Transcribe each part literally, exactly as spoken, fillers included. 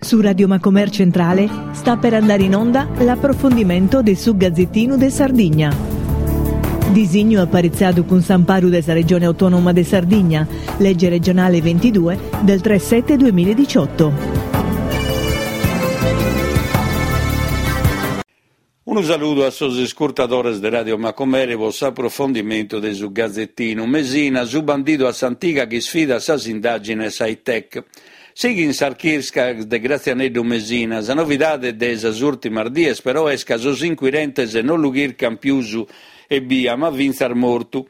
Su Radio Macomer Centrale sta per andare in onda l'approfondimento de su Gazzettinu de Sardigna. Disignu aparitzadu cun s'amparu de sa Regione Autonoma de Sardigna, legge regionale ventidue del tre sette duemiladiciotto. Unu saludu a sos iscurtadores de Radio Macumere pro s'aprofondimentu de su Gazzettinu. Mesina, su bandidu a s'antiga chi isfida sas indàgines high-tech. Sighin sas chircas de Gratzianeddu Mesina. Sa novidade de sas ùrtimas dies però est ca sos inquirentes non lu chircan pius ebbia, ma fintzas mortu.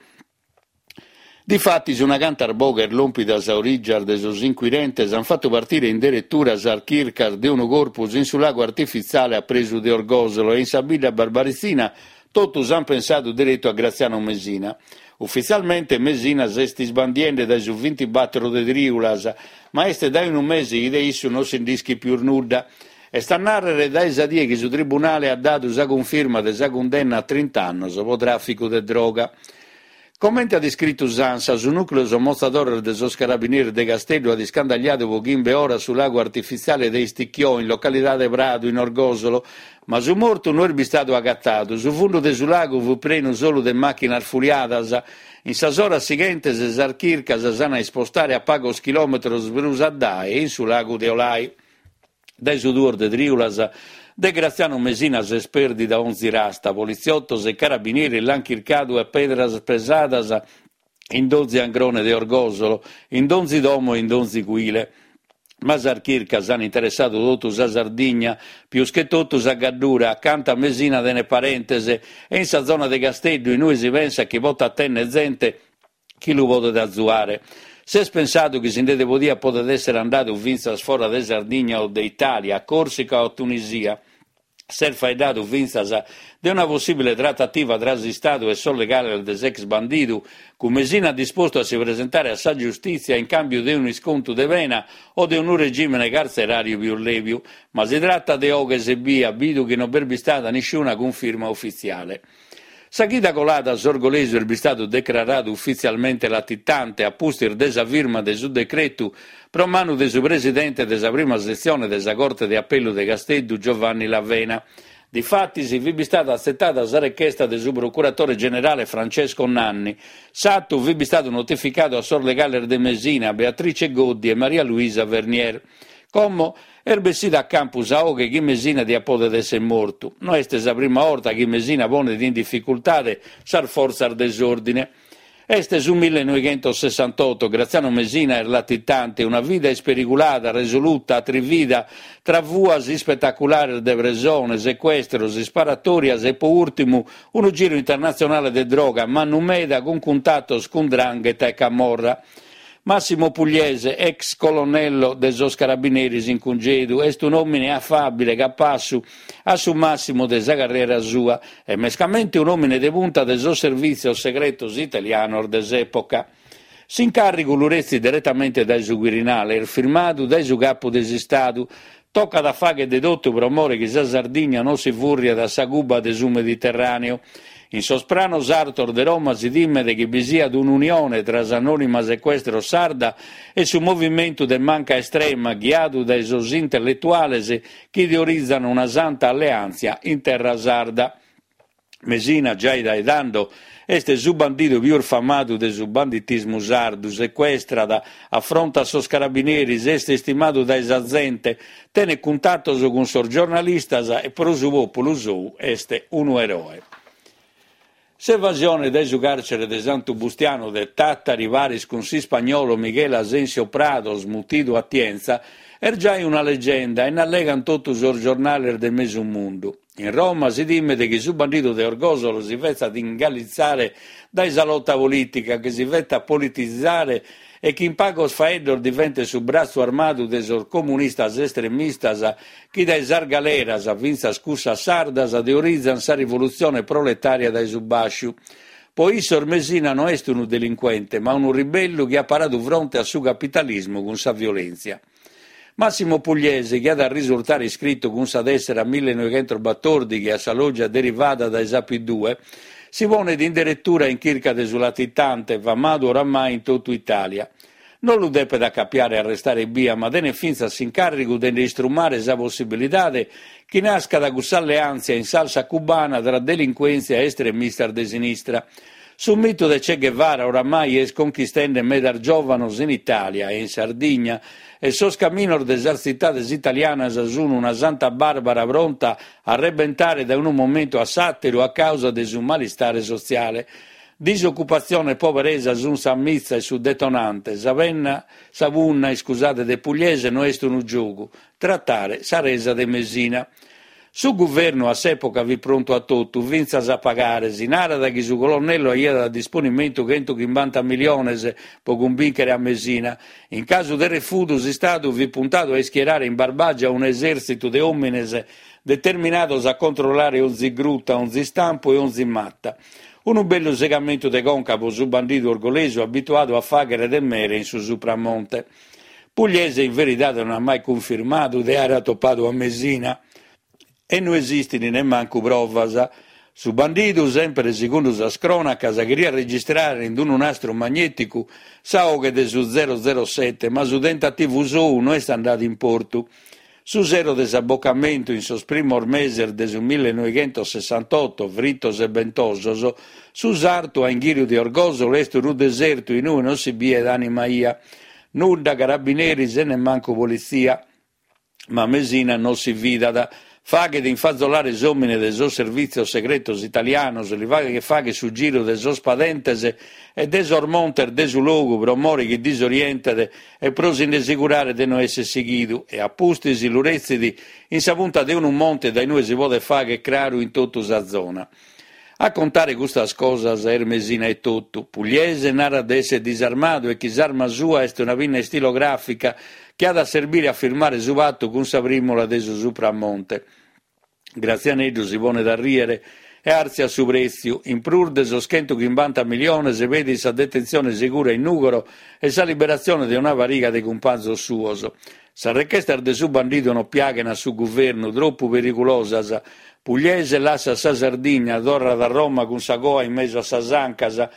Difatis una cantas boghes lòmpidas a orìgias de sos inquirentes ant fatu partire in deretura sas chircas de unu corpus in su lagu artifitziale a presu de Orgòsolo e in sa bidda barbaritzina totus ant pensadu deretu a Graziano Mesina. Ufitzialmente Mesina s'est isbandiende dae su bintibattoro de trìulas, ma est dae unu mese chi de issu non si nd'ischit pius nudda. Est a nàrrere dae sa die chi su tribunale at dadu sa cunfirma de sa cundenna a trint'annos pro tràficu de droga. Comente at iscritu s'ANSA, su nùcleu somotzadores de sos Carabineris de Casteddu at iscandagliadu pro chimbe oras su lagu artifitziale de Isticchiò, in localidade Pradu, in Orgòsolo, ma su mortu no est bistadu agatadu. Su fundu de su lagu fut prenu solu de màchinas fuliadas. In sas oras sighentes sas chircas s'an a ispostare a pagos chilòmetros prus addae, in su lagu de Olai. Dae su duos de trìulas de Graziano Mesina s'est pèrdida onzi rasta. Politziotos e carabineris l'ant chircadu a pedras pesadas in donzi angrone de Orgòsolo, in donzi domo e in donzi cuile. Ma sas chircas ant interessadu totu sa Sardigna, pius che totu sa Gaddura, acanta Mesina tenet parentes, e in sa zona de Casteddu, in ue si pensat chi potat tènnere zente chi lu podet azuare. S'est pensadu chi si nde podiat podet èssere andadu fintzas fora de Sardigna o de Itàlia, a Còrsica o a Tunisia. S'est faeddadu fintzas de una possìbile tratativa tra s'Istadu e sos legales de s'ex bandidu, cun Mesina dispostu a si presentare a sa giustìtzia in càmbiu de un'iscontu de pena o de unu regìmene cartzeràriu pius lèbiu. Ma si tratat de 'oghes ebbia, bidu chi non b'est bistada nisciuna cunfirma ufitziale. Sa chida colada s'orgolesu est bistadu decraradu ufitzialmente latitante a pustis de sa firma de su decretu pro manu de su presidente de sa prima setzione de sa Corte de Apellu de Casteddu Giovanni Lavena. Difatis fit bistada atzetada sa rechesta de su procuratore generale Francesco Nanni. S'atu fit bistadu notificadu a sos legales de Mesina, Beatrice Goddi e Maria Luisa Vernier. Como est bessida a campu sa 'oghe chi Mesina diat podet èssere mortu. No est sa prima 'orta chi Mesina ponet in dificultade sas fortzas de s'òrdine. Est su millenoighentosessantotto, Graziano Mesina est latitante, una vida isperigulada, resoluta, atrivida, tra fuas ispetaculares de presone, secuestros, isparatorias e, po ùrtimu, unu giru internatzionale de droga mannu meda cun cuntatos cun 'Ndrangheta e Camorra. Massimo Pugliese, ex colonnello de sos Carabineris in cungedu, est un'òmine afàbile, capassu a su màssimu de sa carriera sua e mescamente un'òmine de punta de sos servìtzios segretos italianos de s'època. S'incàrrigu lu retzit diretamente dae su Quirinale, est firmadu dae su capu de s'Istadu. Tocat a fàghere de totu pro more chi sa Sardigna non si fùrriat a sa Cuba de su Mediterràneu. In sos pranos artos de Roma si timet chi bi siat un'unione tra s'anònima secuestros sarda e su movimentu de manca estrema ghiadu dae sos intelletuales chi teorizan una santa alleàntzia in terra sarda. Mesina, giai dae tando, est su bandidu pius famadu de su banditismu sardu, secuestrat, afrontat sos carabineris, est istimadu dae sa zente, tenet cuntatos cun sos giornalistas e pro su pòpulu sou est unu eroe. S'evasione dae su càrcere de Santu Bustianu de Tàtari paris cun s'ispagnolo Miguel Asensio Prados, mutidu Atienza, est giai una legenda e n'allegan totu sos giornales de mesu mundu. In Roma si timet chi su bandidu de Orgòsolo si fetzat ingalitzare dae sa lota polìtica, chi si fetat politizare e chi in pagos faeddos diventet su bratzu armadu de sos comunistas estremistas chi dae sas galeras, fintzas cussas sardas, teorizan sa rivolutzione proletària dae su bàsciu. Po issos Mesina no est unu delincuente, ma unu ribellu chi at paradu fronte a su capitalismu cun sa violèntzia. Massimo Pugliese, chi at a risurtare iscritu cun sa tèssera millenoighentosbatòrdighi a sa lògia derivada dae sa P due, si ponet in deretura in chirca de su latitante, famadu oramai in totu Itàlia. No lu depet acapiare e arrestare ebbia, ma tenet fintzas s'incàrrigu de nde istrumare sa possibilidade chi nascat cussa alleàntzia in salsa cubana tra delincuèntzia e estremistas de sinistra. Su mitu de Che Guevara oramai est conchistende medas giòvanos in Itàlia e in Sardigna e sos caminos de sas tzitades italianas sunt una Santa Bàrbara pronta a rebentare dae unu momentu a s'àteru a càusa de su malistare sotziale. Disocupatzione e poberesa sunt sa mitza e su detonante. Sa penna, sa punna, iscusade, de Pugliese no est unu giogu, tratare sa resa de Mesina. Su guvernu a s'època fit prontu a totu, fintzas a pagare. Si narat chi su colonnello aiat a disponimentu chentu chimbanta miliones pro cumbìnchere a Mesina. In casu de refudu s'Istadu fit puntadu a ischierare in Barbàgia un'esèrtzitu de òmines determinados a controllare onzi gruta, onzi istampu e onzi mata. Unu bellu segamentu de conca pro su bandidu orgolesu abituadu a fàghere de mere in su Supramonte. Pugliese in veridade no at mai cunfirmadu de àere atopadu a Mesina e no esistin nemmancu provas. Su bandidu, semper segundu sas crònacas, cheriat registrare in unu nastru magnèticu sa 'oghe de su zero zero sete, ma su tentativu sou no est andadu in portu. Su sero de s'abocamentu, in sos primos meses de su millenoighentossessantotto, fritos e bentosos, su sartu a inghìriu de Orgòsolo est unu desertu in ue non si biet ànima 'ia. Nudda carabineris e nemmancu politzia. Ma Mesina non si fidat. Faghet infazolare s'òmine de sos servìtzios segretos italianos, li faghet fagher su giru de sos padentes e de sos montes de su logu pro more chi disorientet e pro si nde segurare de no esser sighidu, e a pustis lu retzit in sa punta de unu monte dae inue si podet fagher craru in totu sa zona. A contare custas cosas est Mesina etotu. Pugliese narat de esser disarmadu e chi s'arma sua est una pinna istilogràfica chi at a serbire a firmare su patu cun sa prìmula de su Supramonte. Gratzianeddu si ponet a rìere e àrtziat su prètziu. In prus de sos chentu chimbanta miliones pedit sa detentzione segura in Nùgoro e sa liberatzione de una pariga de cumpanzos suos. Sas rechestas de su bandidu non piaghen a su guvernu, tropu periculosas. Pugliese lassat sa Sardigna, torrat a Roma cun sa coa in mesu a sas ancas.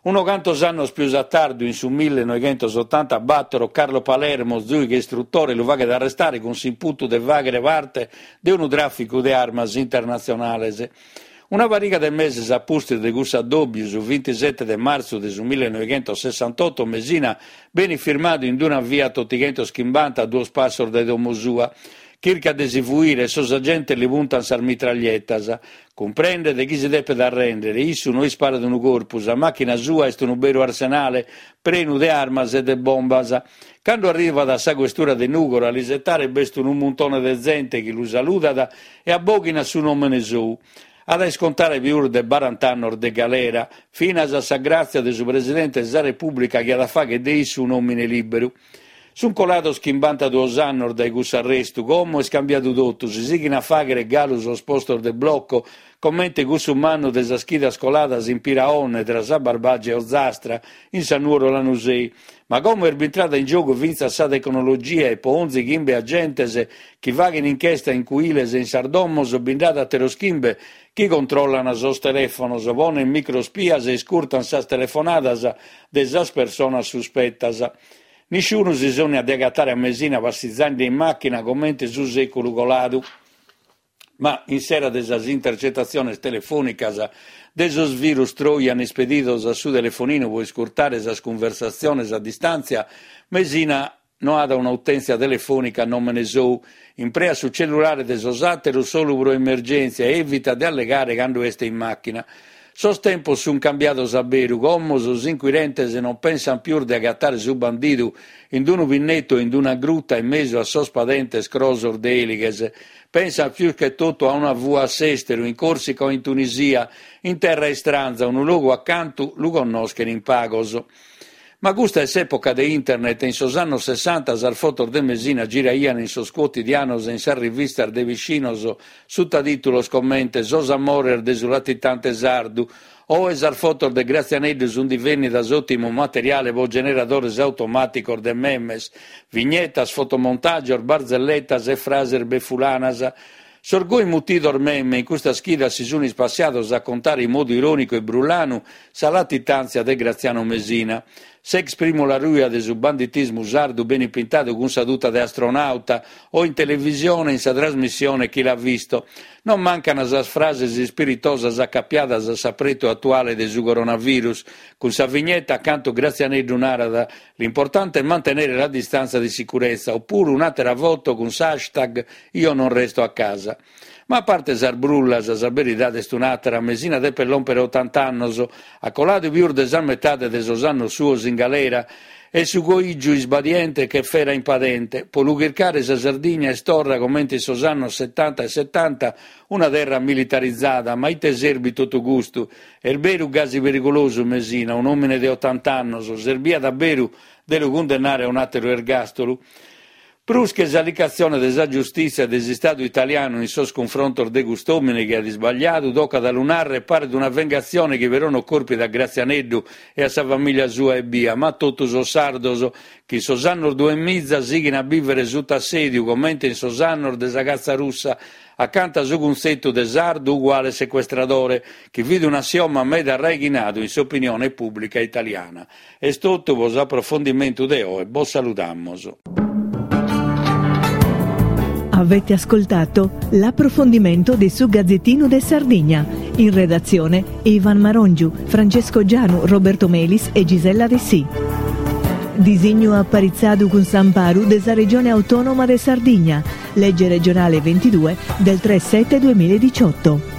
Unos cantos annos pius a tardu, in su millenoighentosotantabatoro, Carlo Palermo, zùighe istrutore, lu faghet arrestare cun s'imputu de fàghere parte de unu tràficu de armas internatzionales. Una pariga de meses a pustis de cussu addòbiu, su bintisete de martzu de su millenoighentosessantotto, Mesina benit firmadu in una Fiat otighentos chimbanta a duos passos dae domo sua. Chircat de si fuire e sos agentes li puntant sas mitraglietas. Cumprendet chi si depet arrèndere, issu no isparat unu corpu, sa màchina sua est unu beru arsenale, prenu de armas e de bombas. Cando arrivat a sa questura de Nùgoro a l'isetare b'est unu muntone de zente chi lu saludat e abòghinat su nòmene sou. At a iscontare pius de barant'annos de galera, finas a sa gràtzia de su Presidente de sa Repùblica chi at a fàghere de issu un'òmine lìberu. Sunt colados chimbantaduos annos dae cussu arrestu, como est cambiadu totu, si sighin a fàghere galu sos postos de blocco, comente cussu mannu de sas chidas coladas in Piraonne, tra sa Barbàgia e Ozastra, in sa Nuoro Lanusei. Ma como est bintrada in giogu fintzas sa tecnologia e po onzi chimbe agentes chi faghen inchesta in cuiles e in sas domos bi nd'at àteros chimbe chi controllan sos telèfonos, ponen microspias e iscurtan sas telefonadas de sas personas suspetas. Nisciunu si sònniat de agatare a Mesina passizende in màchina comente su sèculu coladu. Ma in s'era de sas intercetatziones telefònicas, de sos virus trojan ispedidos a su telefoninu pro iscurtare sas cunversatziones a distàntzia, Mesina no at un'utèntzia telefònica a nòmene sou, impreat su cellulare de sos àteros solu pro emergèntzia e èvitat de allegare cando est in màchina. Sos tempos sunt cambiados a beru, como sos inquirentes non pensant pius de agatare su bandidu in unu pinnetu o in una gruta in mesu a sos padentes crosos de èlighes. Pensant pius che totu a una fua a s'èsteru, in Còrsica o in Tunisia, in terra istranza, unu logu acantu lu connoschen in pagos. Ma custa est s'època de internet e in sos annos sessanta sas fotos de Mesina giraian in sos cuotidianos e in sas rivistas de piscinos suta tìtulos comente Sos amores de su latitante sardu. Oe sas fotos de Gratzianeddu sunt divènnidas òtimu materiale pro generadores automàticos de memes, vignetas, fotomontàgios, barzelletas e frases befulanas. Sos goi mutidos meme in custas chidas si sun ispassiados a contare in modu irònicu e brullanu sa latitàntzia de Graziano Mesina. S'ex primula ruja de su banditismu sardu benit pintadu cun sa tuta de astronauta o in televisione in sa trasmissione Chi l'ha visto. Non mancant sas frases ispiritosas acapiadas a s'apretu atuale de su coronavirus, cun sa vignetta acantu Gratzianeddu narat l'importante è mantenere la distanza di sicurezza, opuru un'àtera foto cun s'hashtag io non resto a casa. Ma a parte sas brullas, sa beridade est un'àtera, Mesina depet lòmpere otanta annos, at coladu pius de sa metade de sos annos suos in galera e su coìgiu isbadiente che fera in padente. Pro lu chircare sa Sardigna est torra, comente in sos annos setanta e setanta, una terra militarizada. Ma ite serbit totu custu? Est beru gasi perigulosu Mesina, un'òmine de otanta annos? Serbiat a beru de lu cundennare a un'àteru ergàstolu? Prus che s'allicatzione de sa giustìtzia de s'Istadu italianu in sos cunfrontos de cust'òmine chi at isbagliadu, tocat a lu nàrrere, paret una vengatzione chi però non corpit a Gratzianeddu e a sa famìlia sua ebbia, ma a totu sos sardos chi in sos annos duemiza sighin a bìvere suta assèdiu comente in sos annos de sa catza russa acanta su cuntzetu de sardu uguale secuestradore, chi fit un'assioma meda arraighinadu in s'opinione pùblica italiana. Est totu pro s'aprofondimentu de oe, bos saludamus. Avete ascoltato l'approfondimento di Su Gazzettino de Sardigna. In redazione Ivan Marongiu, Francesco Gianu, Roberto Melis e Gisella Dessì. Disignu aparitzadu cun s'amparu de sa Regione Autonoma de Sardigna, legge regionale ventidue del tre sette duemiladiciotto.